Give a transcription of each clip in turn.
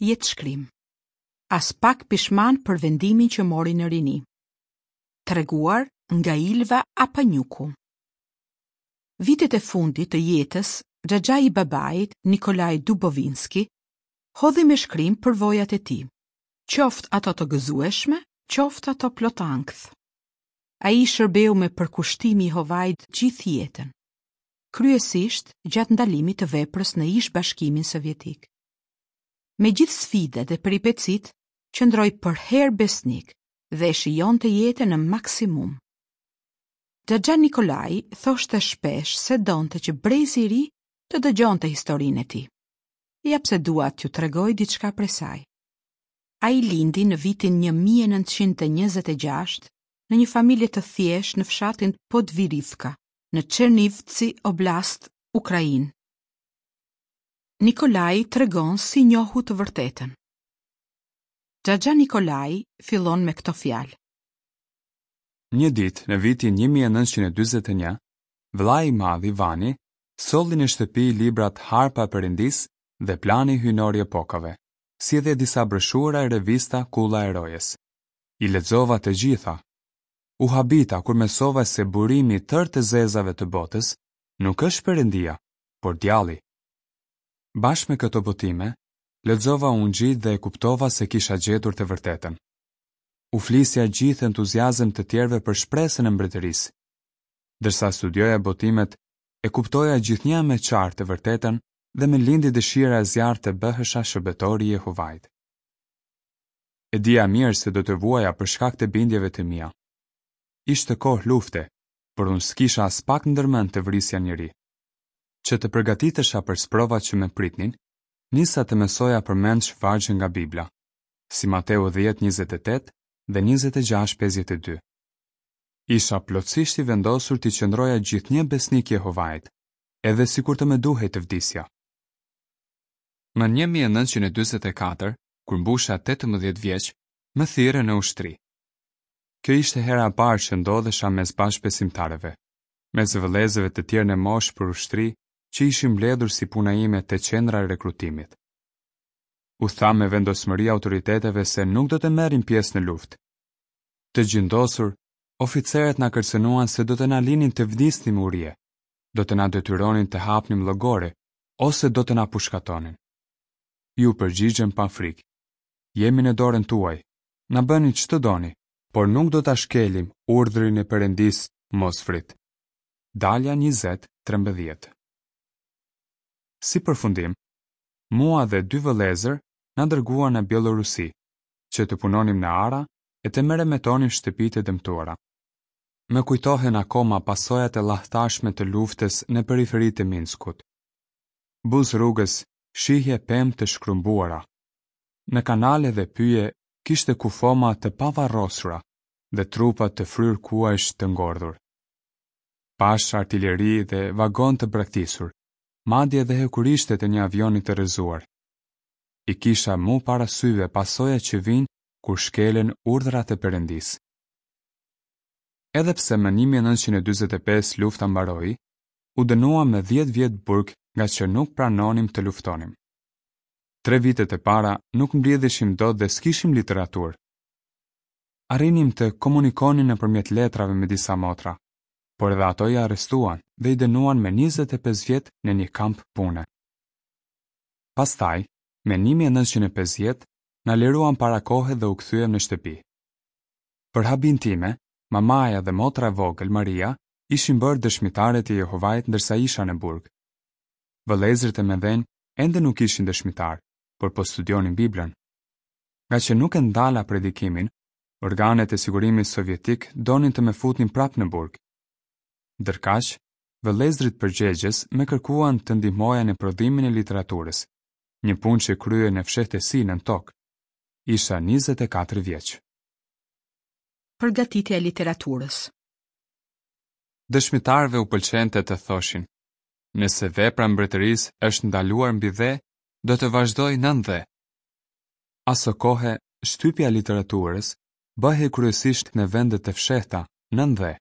Jetëshkrim. Aspak pishman për vendimin që mori në rini. Treguar nga Ilva Apanjuku. Vitet e fundit të jetës, xhaxhai i babait, Nikolai Dubovinski, hodhi me shkrim përvojat e tij, qoftë ato të gëzueshme, qoftë ato plot ankth. Ai i shërbeu me përkushtim Jehovait gjithë jetën, kryesisht gjatë ndalimit të veprës në ish-Bashkimin Sovjetik. Me gjithë sfidat dhe peripecitë, qëndroi përherë besnik dhe e shijonte jetën në maksimum. Xhaxha Nikolai thoshte shpesh se donte që brezi i ri të dëgjonte historinë e tij. Ja pse dua t'ju tregoj diçka prej saj. Ai lindi në vitin 1926 në një familje të thjeshtë në fshatin Podvirivka, në Çernivci Oblast, Ukrainë. Nikolai tregon si njohu të vërtetën. Xhaxha Nikolai fillon me këto fjalë. Një ditë, në vitin 1941, vëllai i madh Ivani solli në shtëpi librat Harpa e Perëndisë dhe Plani Hyjnor i Epokave, si edhe disa broshura e revista Kulla e Rojes. I lexova të gjitha. U habita kur mësova se burimi i tërë të zezave të botës nuk është Perëndia, por djalli. Bashkë me këto botime, lexova Ungjijtë dhe e kuptova se kisha gjetur të vërtetën. U flisja gjithë entuziazëm të tjerëve për shpresën e Mbretërisë. Ndërsa studioja botimet, e kuptoja gjithnjë e më qartë të vërtetën dhe më lindi dëshira e zjarrtë të bëhesha shërbëtor i Jehovait. E dija mirë se do të vuaja për shkak të bindjeve të mia. Ishte kohë lufte, por unë s'kisha aspak ndërmend të vrisja njeri. Që të përgatitesha për sprovat që më pritnin, nisa të mësoja përmendsh vargje nga Bibla, si Mateu 10 28 dhe 26 52. Isha plotësisht i vendosur t'i qëndroja gjithnjë besnik Jehovait, edhe sikur të më duhej të vdisja. Më 1944, kur mbusha 18 vjeç, më thirrën në ushtri. Kjo ishte hera e parë që ndodhesha mes bashkëbesimtarëve. mes vëllezërve të tjerë në moshë për ushtri që ishin mbledhur si puna ime te qendra e rekrutimit. U thamë me vendosmëri autoriteteve se nuk do të merrnim pjesë në luftë. Të xhindosur, oficerët na kërcënuan se do të na linin të vdisnim urie, do të na detyronin të hapnim llogore ose do të na pushkatonin. Iu përgjigjëm pa frikë. Jemi në dorën tuaj. Na bëni ç'të doni, por nuk do ta shkelim urdhrin e Perëndisë mos vrit. Dalja 20, 13. Si përfundim, mua dhe dy vëllezër na dërguan në Bjellorusi, që të punonim në ara e të meremetonim shtëpitë e dëmtuara. Më kujtohen akoma pasojat e llahtarshme të luftës në periferi të Minskut. Buzë rrugës shihje pemë të shkrumbuara. Në kanale dhe pyje kishte kufoma të pavarrosura dhe trupa të fryrë kuajsh të ngordhur. Pashë artileri dhe vagonë të braktisur, madje edhe hekurishtet e një avioni të rrëzuar. I kisha mu para syve pasojat që vijnë kur shkelen urdhrat e Perëndisë. Edhe pse më 1945 lufta mbaroi, u dënuam me 10 vjet burg ngaqë nuk pranonim të luftonim. Tre vitet e para nuk mblidheshim dot dhe s'kishim literaturë. Arrinim të komunikonim nëpërmjet letrave me disa motra, por edhe ato i arrestuan dhe i dënuan me 25 vjet në një kamp pune. Pastaj, me 1950, na liruan para kohe dhe u kthyem në shtëpi. Për habinë time, mamaja dhe motra e vogël, Maria, ishin bërë dëshmitare të Jehovait ndërsa isha në burg. Vëllezërit e mëdhenj ende nuk ishin dëshmitarë, por po studionin Biblën. Ngaqë nuk e ndala predikimin, organet e sigurimit sovjetik donin të më futnin prapë në burg. Ndërkaq, vëllezërit përgjegjës më kërkuan të ndihmoja në prodhimin e literaturës, një punë që kryhej në fshehtësi nën tokë. Isha 24 vjeç. Përgatitja e literaturës. Dëshmitarëve u pëlqente të thoshin, Nëse vepra e mbretërisë është ndaluar mbi dhe, do të vazhdojë nën dhe. Asokohe, shtypja e literaturës bëhej kryesisht në vende të fshehta, nën dhe.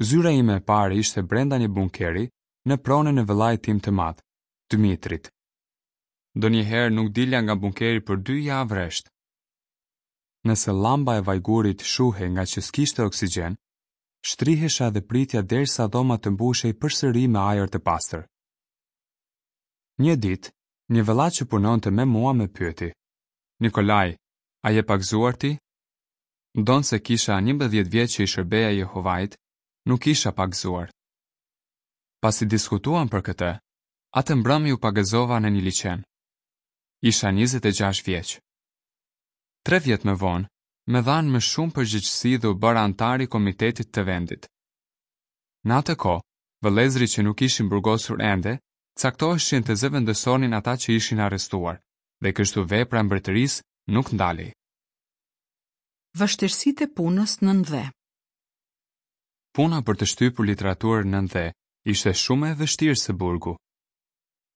Zyra ime e parë ishte brenda një bunkeri në pronën e vëllait tim të madh, Dmitrit. Ndonjëherë nuk dilja nga bunkeri për dy javë rresht. Nëse llamba e vajgurit shuhej ngaqë s'kishte oksigjen, shtrihesha dhe pritja derisa dhoma të mbushej përsëri me ajër të pastër. Një ditë, një vëlla që punonte me mua më pyeti, Nikolaj, a je pagëzuar ti? Ndonëse kisha 11 vjet që i shërbeja Jehovait, nuk isha pagëzuar. Pasi diskutuam për këtë, atë mbrëmje u pagëzova në një liqen. Isha 26 vjeç. Tre vjet më vonë, më dhanë më shumë përgjegjësi dhe u bëra anëtar i komitetit të vendit. Në atë kohë, vëllezërit që nuk ishin burgosur ende, caktoheshin të zëvendësonin ata që ishin arrestuar, dhe kështu vepra e mbretërisë nuk ndalej. Vështirësitë e punës nën dhe. Puna për të shtypur literaturë nën dhe ishte shumë më e vështirë se burgu.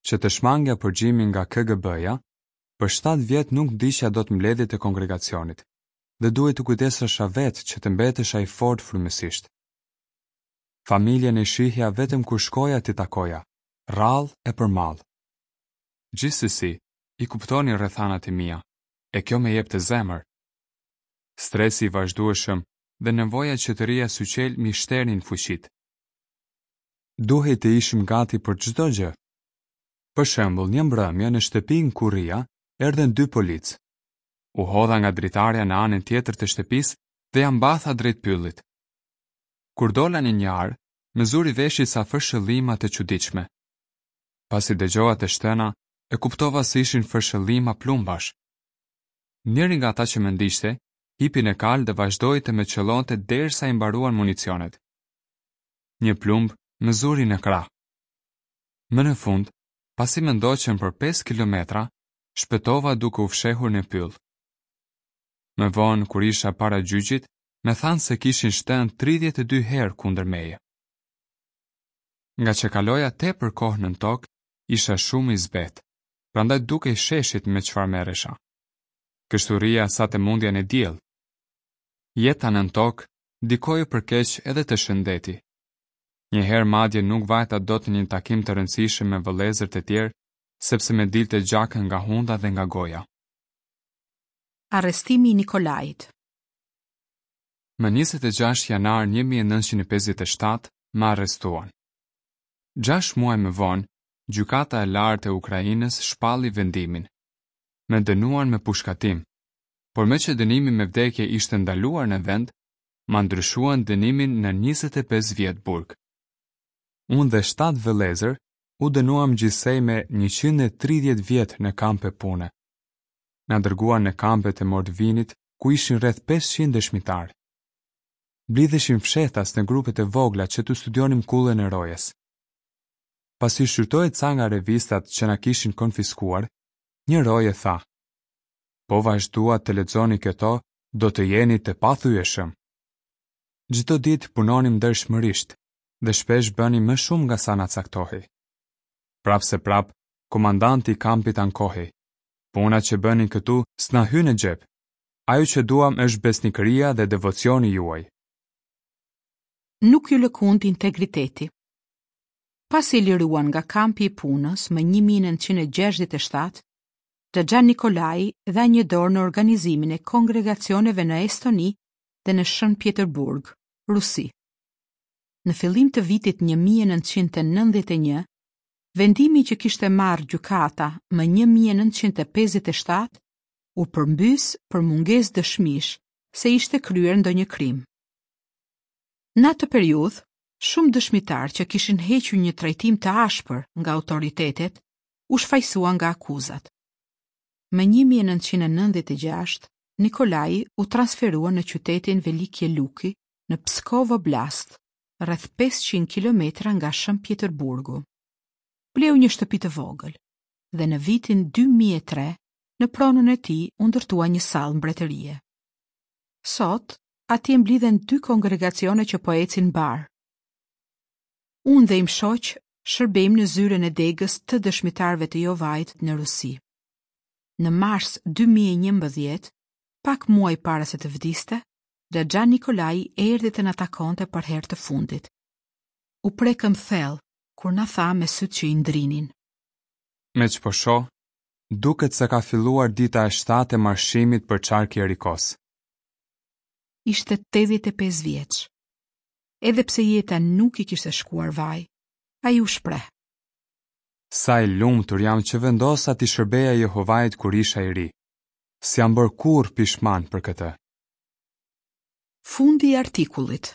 Që të shmangja përgjimin nga KGB-ja, për shtatë vjet nuk ndiqja dot mbledhjet e kongregacionit dhe duhej të kujdesesha vetë që të mbetesha i fortë frymësisht. Familjen e shihja vetëm kur shkoja t'i takoja, rrallë e për mall. Gjithsesi, i kuptonin rrethanat e mia, e kjo më jepte zemër. Stresi i vazhdueshëm dhe nevoja që të rrija syqelë m'i shternin fuqitë. Duhej të ishim gati për çdo gjë. Për shembull, një mbrëmje në shtëpinë ku rrija, erdhën dy policë. U hodha nga dritarja në anën tjetër të shtëpisë dhe ia mbatha drejt pyllit. Kur dola në një arë, më zuri veshi ca fërshëllima të çuditshme. Pasi dëgjova të shtëna, e kuptova se ishin fërshëllima plumbash. Njëri nga ata që më ndiqte, hipi në kalë dhe vazhdoi të më qëllonte derisa i mbaruan municionet. Një plumb më zuri në krah. Më në fund, pasi më ndoqën për 5 kilometra, shpëtova duke u fshehur në pyll. Më vonë, kur isha para gjyqit, më thanë se kishin shtënë 32 herë kundër meje. Ngaqë kaloja tepër kohë nën tokë, isha shumë i zbehtë, prandaj dukej sheshit me çfarë merresha. Kështu rrija sa të mundja në diell. Jeta nën tokë ndikoi për keq edhe te shëndeti. Një herë madje nuk vajta dot në një takim të rëndësishëm me vëllezër të tjerë, sepse më dilte gjak nga hunda dhe nga goja. Arrestimi i Nikolait. Më 26 janar 1957 më arrestuan. Gjashtë muaj më vonë, Gjykata e Lartë e Ukrainës shpalli vendimin. Më dënuan me pushkatim, por meqë dënimi me vdekje ishte ndaluar në vend, ma ndryshuan dënimin në 25 vjet burg. Unë dhe shtatë vëllezër u dënuam gjithsej me 130 vjet në kampe pune. Na dërguan në kampet e Mordvinit, ku ishin rreth 500 dëshmitarë. Mblidheshim fshehtas në grupe të vogla që të studionim Kullën e Rojes. Pasi shqyrtoi ca nga revistat që na kishin konfiskuar, një roje tha: Po vazhduat të lexoni këto, do të jeni të pathyeshëm. Çdo ditë punonim ndershmërisht dhe shpesh bënim më shumë nga sa na caktohej. Prapëseprapë, komandanti i kampit ankohej. Puna që bëni këtu s'na hyn në xhep. Ajo që duam është besnikëria dhe devocioni juaj. Nuk iu lëkund integriteti. Pasi e liruan nga kampi i punës më 1967, Xhaxha Nikolai dha një dorë në organizimin e kongregacioneve në Estoni dhe në Shën Pjetërburg, Rusi. Në fillim të vitit 1991, vendimi që kishte marrë gjykata më 1957 u përmbys për mungesë dëshmish se ishte kryer ndonjë krim. Në atë periudhë, shumë dëshmitarë që kishin hequr një trajtim të ashpër nga autoritetet u shfajësuan nga akuzat. Më 1996, Nikolai u transferua në qytetin Velikie Luki në Pskov Oblast, rreth 500 kilometra nga Shën Pjetërburgu. Bleu një shtëpi të vogël dhe në vitin 2003 në pronën e tij u ndërtua një sallë mbretërie. Sot, atje mblidhen dy kongregacione që po ecin mbarë. Unë dhe im shoq shërbejmë në zyrën e degës të Dëshmitarëve të Jehovait në Rusi. Në mars 2011, pak muaj para se të vdiste, Xhaxha Nikolai erdhi të na takonte për herë të fundit. U prekëm thellë kur na tha me sytë që i ndrinin. Meqë po shoh, Duket se ka filluar dita e shtatë e marshimit përqark Jerikosë. Ishte 85 vjeç. Edhe pse jeta nuk i kishte shkuar vaj, ai u shpreh. Sa i lumtur jam që vendosa t'i shërbeja Jehovait kur isha i ri. S'jam bërë kurrë pishman për këtë. Fundi i artikullit.